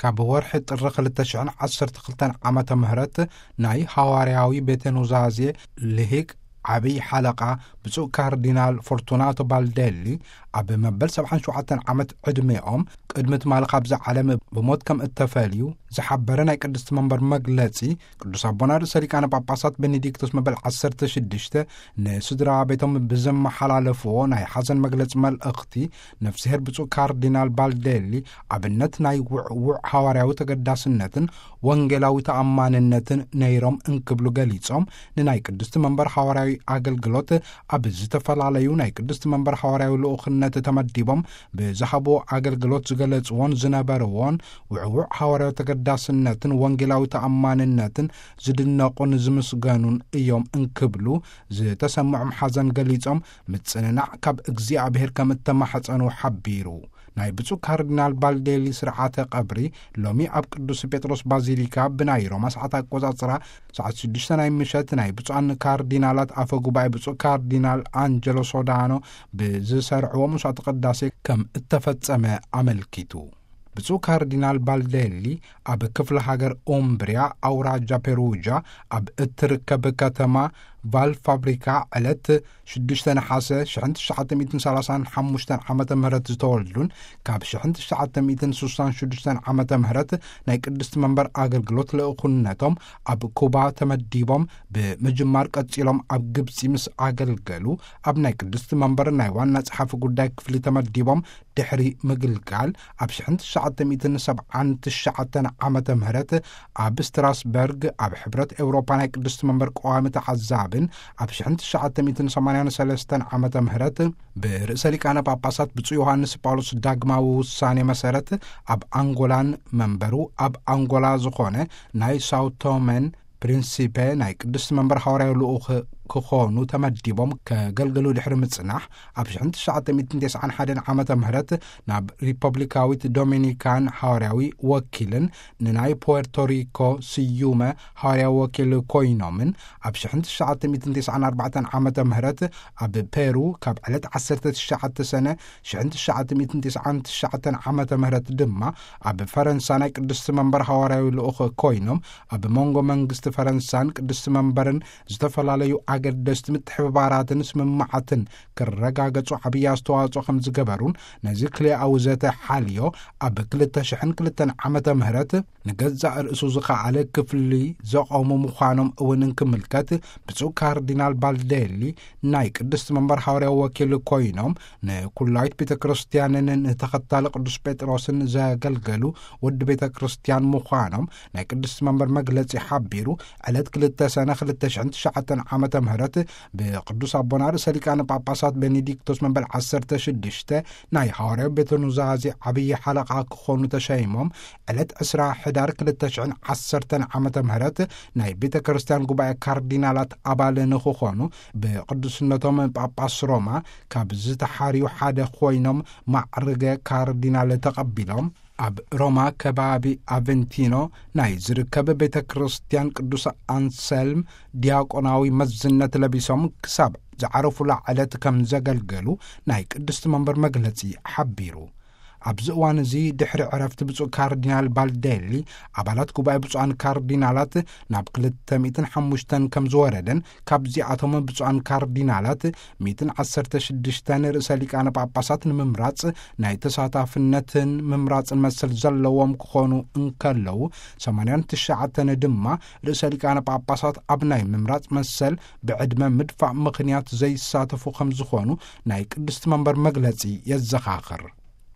ካብ ወርሒ ጥሪ ክልተ ሽሕን ዓሰርተ ክልተን ዓመተ ምህረት ናይ ሃዋርያዊ ቤተ ኑዛዜ ልሂቅ ዓብይ ሓለቓ ብፁዕ ካርዲናል ፎርቱናቶ ባልዴሊ፣ ኣብ መበል ሰብዓን ሸውዓተን ዓመት ዕድሜኦም ቅድሚ ትማሊ ካብዛ ዓለም ብሞት ከም እተፈልዩ ዝሓበረ ናይ ቅድስቲ መንበር መግለጺ፣ ቅዱስ ኣቦና ርእሰ ሊቃነ ጳጳሳት ቤኔዲክቶስ መበል ዓሰርተ ሽዱሽተ ንስድራ ቤቶም ብዘመሓላለፍዎ ናይ ሓዘን መግለጺ መልእኽቲ፣ ነፍስሄር ብፁዕ ካርዲናል ባልዴሊ ኣብነት ናይ ውዕውዕ ሃዋርያዊ ተገዳስነትን ወንጌላዊ ተኣማንነትን ነይሮም እንክብሉ ገሊጾም፣ ንናይ ቅድስቲ መንበር ሃዋርያዊ ኣገልግሎት ኣብ ዝተፈላለዩ ናይ ቅድስቲ መንበር ሃዋርያዊ ልኡኽነት ተመዲቦም ብዝሃብዎ ኣገልግሎት ዝገለጽዎን ዝነበርዎን ውዕውዕ ሃዋርያዊ ተገዳስነትን ወንጌላዊ ተኣማንነትን ዝድነቑን ዝምስገኑን እዮም እንክብሉ ዝተሰምዖም ሓዘን ገሊጾም፣ ምጽንናዕ ካብ እግዚኣብሔር ከም እተማሕጸኑ ሓቢሩ። ናይ ብፁዕ ካርዲናል ባልዴሊ ስርዓተ ቀብሪ ሎሚ ኣብ ቅዱስ ጴጥሮስ ባዚሊካ ብናይ ሮማ ሰዓት ኣቆጻጽራ ሰዓት ሽዱሽተ ናይ ምሸት ናይ ብፁዓን ካርዲናላት ኣፈ ጉባኤ ብፁዕ ካርዲናል ኣንጀሎ ሶዳኖ ብዝሰርዕዎ መስዋዕተ ቅዳሴ ከም እተፈጸመ ኣመልኪቱ። ብፁዕ ካርዲናል ባልዴሊ ኣብ ክፍለ ሃገር ኡምብሪያ ኣውራጃ ፔሩጃ ኣብ እትርከብ ከተማ ቫል ፋብሪካ ዕለት ሽዱሽተ ነሓሰ ሽሕን ትሽዓተ ሚእትን ሰላሳን ሓሙሽተን ዓመተ ምህረት ዝተወልዱን ካብ ሽሕን ትሽዓተ ሚእትን ስሳን ሽዱሽተን ዓመተ ምህረት ናይ ቅድስቲ መንበር ኣገልግሎት ልእኹነቶም ኣብ ኩባ ተመዲቦም ብምጅማር ቀጺሎም ኣብ ግብጺ ምስ ኣገልገሉ ኣብ ናይ ቅድስቲ መንበር ናይ ዋና ጸሓፊ ጉዳይ ክፍሊ ተመዲቦም ድሕሪ ምግልጋል ኣብ ሽሕን ትሽዓተ ሚእትን ሰብዓን ትሽዓተን ዓመተ ምህረት ኣብ ስትራስበርግ ኣብ ሕብረት ኤውሮፓ ናይ ቅድስቲ መንበር ቀዋሚ ተዓዛብን ኣብ ሽሕን ትሽዓተ ሚእትን ሰማንያን ሰለስተን ዓመተ ምህረት ብርእሰ ሊቃነ ጳጳሳት ብፁዕ ዮሃንስ ጳውሎስ ዳግማዊ ውሳኔ መሰረት ኣብ ኣንጎላን መንበሩ ኣብ ኣንጎላ ዝኾነ ናይ ሳውቶመን ፕሪንሲፔ ናይ ቅድስቲ መንበር ሃዋርያዊ ልኡኽ ክኾኑ ተመዲቦም ከገልግሉ ድሕሪ ምጽናሕ ኣብ ሽሕን ትሽዓተ ሚእትን ተስዓን ሓደን ዓመተ ምህረት ናብ ሪፐብሊካዊት ዶሚኒካን ሃዋርያዊ ወኪልን ንናይ ፖርቶሪኮ ስዩመ ሃዋርያዊ ወኪል ኮይኖምን ኣብ ሽሕን ትሽዓተ ሚእትን ተስዓን ኣርባዕተን ዓመተ ምህረት ኣብ ፔሩ ካብ ዕለት ዓሰርተ ትሽዓተ ሰነ ሽሕን ትሽዓተ ሚእትን ተስዓን ትሽዓተን ዓመተ ምህረት ድማ ኣብ ፈረንሳ ናይ ቅድስቲ መንበር ሃዋርያዊ ልኡኽ ኮይኖም ኣብ መንጎ መንግስቲ ፈረንሳን ቅድስቲ መንበርን ዝተፈላለዩ ኣገደስቲ ምትሕብባራትን ስምምዓትን ክረጋገጹ ዓብዪ ኣስተዋጽኦ ከም ዝገበሩን ነዚ ክልኤኣዊ ዘተ ሓልዮ ኣብ ክልተ ሽሕን ክልተን ዓመተ ምህረት ንገዛእ ርእሱ ዝኸኣለ ክፍሊ ዘቖሙ ምዃኖም እውን እንክምልከት ብፁዕ ካርዲናል ባልዴሊ ናይ ቅድስቲ መንበር ሃዋርያዊ ወኪል ኮይኖም ንኩላዊት ቤተ ክርስቲያንን ንተኸታሊ ቅዱስ ጴጥሮስን ዘገልገሉ ወዲ ቤተ ክርስቲያን ምዃኖም ናይ ቅድስቲ መንበር መግለጺ ሓቢሩ ዕለት ክልተ ሰነ ክልተ ሽሕን ትሽዓተን ዓመተ ምህረት ብቅዱስ ኣቦና ርእሰ ሊቃነ ጳጳሳት ቤኔዲክቶስ መበል ዓሰርተ ሽዱሽተ ናይ ሃዋርያዊ ቤተ ኑዛዜ ዓብዪ ሓለቓ ክኾኑ ተሸይሞም ዕለት ዕስራ ሕዳር ክልተ ሽሕን ዓሰርተን ዓመተ ምህረት ናይ ቤተ ክርስቲያን ጉባኤ ካርዲናላት ኣባል ንክኾኑ ብቅዱስነቶም ጳጳስ ሮማ ካብ ዝተሓርዩ ሓደ ኮይኖም ማዕርገ ካርዲናል ተቐቢሎም ኣብ ሮማ ከባቢ ኣቨንቲኖ ናይ ዝርከብ ቤተ ክርስቲያን ቅዱስ ኣንሰልም ዲያቆናዊ መዝነት ለቢሶም ክሳብ ዝዓረፉላ ዕለት ከም ዘገልገሉ ናይ ቅድስቲ መንበር መግለጺ ሓቢሩ። ኣብዚ እዋን እዚ ድሕሪ ዕረፍቲ ብፁዕ ካርዲናል ባልዴሊ ኣባላት ጉባኤ ብፁዓን ካርዲናላት ናብ ክልተ ሚእትን ሓሙሽተን ከም ዝወረደን ካብዚኣቶም ብፁዓን ካርዲናላት ሚእትን ዓሰርተ ሽዱሽተን ርእሰ ሊቃነ ጳጳሳት ንምምራጽ ናይ ተሳታፍነትን ምምራጽን መሰል ዘለዎም ክኾኑ እንከለዉ ሰማንያን ትሽዓተን ድማ ርእሰ ሊቃነ ጳጳሳት ኣብ ናይ ምምራጽ መሰል ብዕድመ ምድፋእ ምኽንያት ዘይሳተፉ ከም ዝኾኑ ናይ ቅድስቲ መንበር መግለጺ የዘኻኽር።